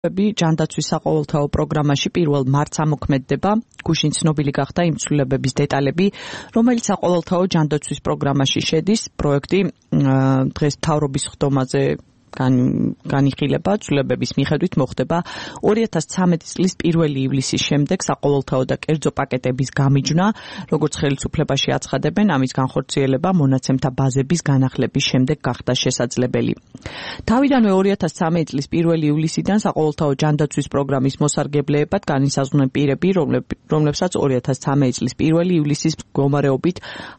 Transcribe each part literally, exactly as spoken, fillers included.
ჯანდაცვის საყოველთაო პროგრამაში პირველ მარტს ამოქმედდება გუშინ ცნობილი გახდა იმ ცვლილებების დეტალები, რომელიც საყოველთაო ჯანდაცვის პროგრამაში შედის. პროექტი დღეს მთავრობის ხდომაზე განიხილება, ცვლილებების მიხედვით მოხდება ორი ათას ცხრამეტი წლის პირველი ივლისის შემდეგ საყოველთაო და კერძო პაკეტების გამიჯვნა, როგორც ხელისუფლებაში აცხადებენ, ამის განხორციელება მონაცემთა ბაზების განახლების შემდეგ გახდა შესაძლებელი. თავიდანვე ორი ათას ცხრამეტი წლის პირველი ივლისიდან საყოველთაო ჯანდაცვის პროგრამის მოსარგებლეებად განისაზღვრნენ პირები, რომლებსაც ორი ათას ცხრამეტი წლის პირველი ივლისის მდგომარეობით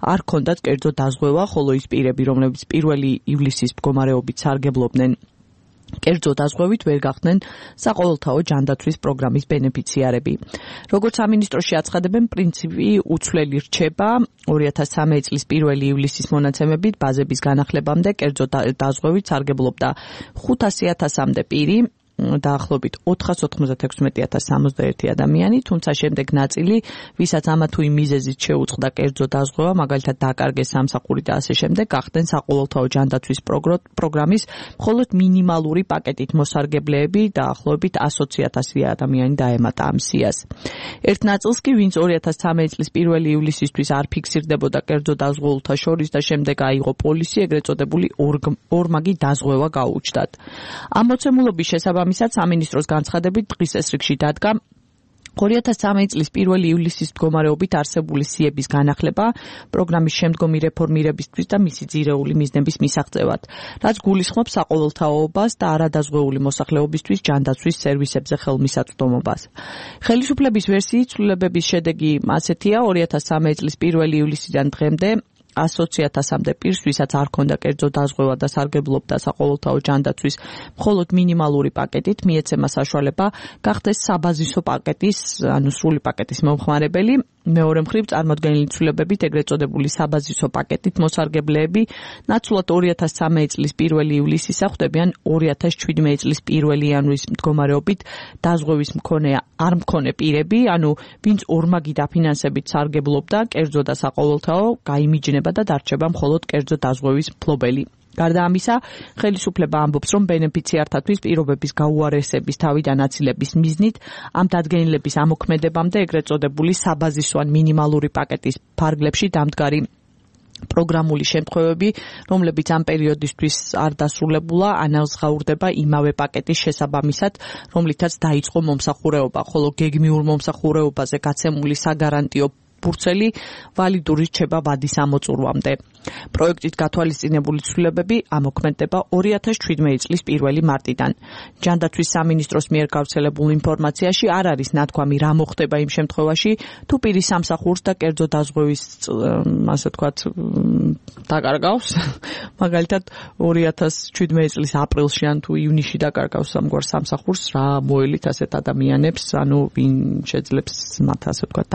არ ჰქონდათ კერძო დაზღვევა, ხოლო ის პირები, რომლებიც პირველი ივლისის მდგომარეობით სარგებლობდნენ კერძო დაზღვევით ვერ გახდნენ საყოველთაო ჯანდაცვის პროგრამის ბენეფიციარები. როგორც სამინისტროში აცხადებენ, პრინციპი უცვლელი რჩება ორი ათას ცხრამეტი წლის პირველი ივლისის მონაცემებით ბაზების განახლებამდე კერძო დაზღვევით სარგებლობდა ხუთასი ათასამდე პირი, დაახლოებით ოთხას ოცდაექვსი ათას სამოცდაერთი ადამიანი, თუმცა შემდეგ ნაწილი, ვისაც ამა თუ იმ მიზეზით შეუწყდა კერძო დაზღვევა, მაგალითად დაკარგეს სამსახური და ასე შემდეგ, გახდნენ საყოველთაო ჯანდაცვის პროგრამის მხოლოდ მინიმალური პაკეტით მოსარგებლეები, დაახლოებით ასოცი ათასი ადამიანი დაემატა ამ სიას. ერთ ნაწილს კი, ვინც ორი ათას ცხრამეტი წლის პირველი ივლისისთვის არ ფიქსირდებოდა კერძო დაზღვეულთა შორის და შემდეგ აიღო პოლისი, ეგრეთ წოდებული ორმაგი დაზღვევა გაუჩნდათ. ამ მოცემულობის შესაბამისად სამინისტროს განცხადებით დღის ეს რიგში დადგა ორი ათას ცხრამეტი წლის პირველი ივლისის მდგომარეობით არსებული სიების განახლება პროგრამის შემდგომი რეფორმირებისთვის და მისი ძირეული მიზნების მისაღწევად, რაც გულისხმობს საყოველთაოობას და არადაზღვეული მოსახლეობისთვის ჯანდაცვის სერვისებზე ხელმისაწვდომობას. ხელისუფლების ვერსიით ცვლილებების შედეგი ასეთია, ორი ათას ცხრამეტი წლის პირველი ივლისიდან დღემდე ასოცი ათასამდე პირს, ვისაც არ ჰქონდა კერძო დაზღვევა და სარგებლობდა საყოველთაო ჯანდაცვის მხოლოდ მინიმალური პაკეტით, მიეცემა საშუალება გახდეს საბაზისო პაკეტის, ანუ სრული პაკეტის მომხმარებელი. მეორე მხრივ, წარმოდგენილი ცვლილებებით ეგრეთ წოდებული საბაზისო პაკეტით მოსარგებლეები ნაცვლად ორი ათას ცხრამეტი წლის პირველი ივლისისა ხვდებიან ორი ათას შვიდმეტი წლის პირველი იანვრის მდგომარეობით დაზღვევის მქონე არ მქონე პირები, ანუ ვინც ორმაგი დაფინანსებით სარგებლობდა კერძო და საყოველთაო, გაიმიჯნება და დარჩება მხოლოდ კერძო დაზღვევის მფლობელი. გარდა ამისა, ხელისუფლება ამბობს, რომ ბენეფიციართათვის პირობების გაუარესების თავიდან აცილების მიზნით ამ დადგენილების ამოქმედებამდე ეგრეთ წოდებული საბაზისო ან მინიმალური პაკეტის ფარგლებში დამდგარი პროგრამული შემთხვევები, რომლებიც ამ პერიოდისთვის არ დასრულებულა, ანაზღაურდება იმავე პაკეტის შესაბამისად, რომლითაც დაიწყო მომსახურეობა, ხოლო გეგმიურ მომსახურეობაზე გაცემული საგარანტიო ფურცელი ვალიდური რჩება ვადის ამოწურვამდე. პროექტით გათვალისწინებული ცვლილებები ამოქმედდება ორი ათას შვიდმეტი წლის პირველი მარტიდან. ჯანდაცვის სამინისტროს მიერ გავრცელებულ ინფორმაციაში არ არის ნათქვამი, რა მოხდება იმ შემთხვევაში, თუ პირი სამსახურს და კერძო დაზღვევის, ასე ვთქვათ, დაკარგავს. მაგალითად, ორი ათას შვიდმეტი წლის აპრილში ან თუ ივნისში დაკარგავს ამგვარ სამსახურს, რა მოელით ასეთ ადამიანებს, ანუ ვინ შეძლებს მათ, ასე ვთქვათ,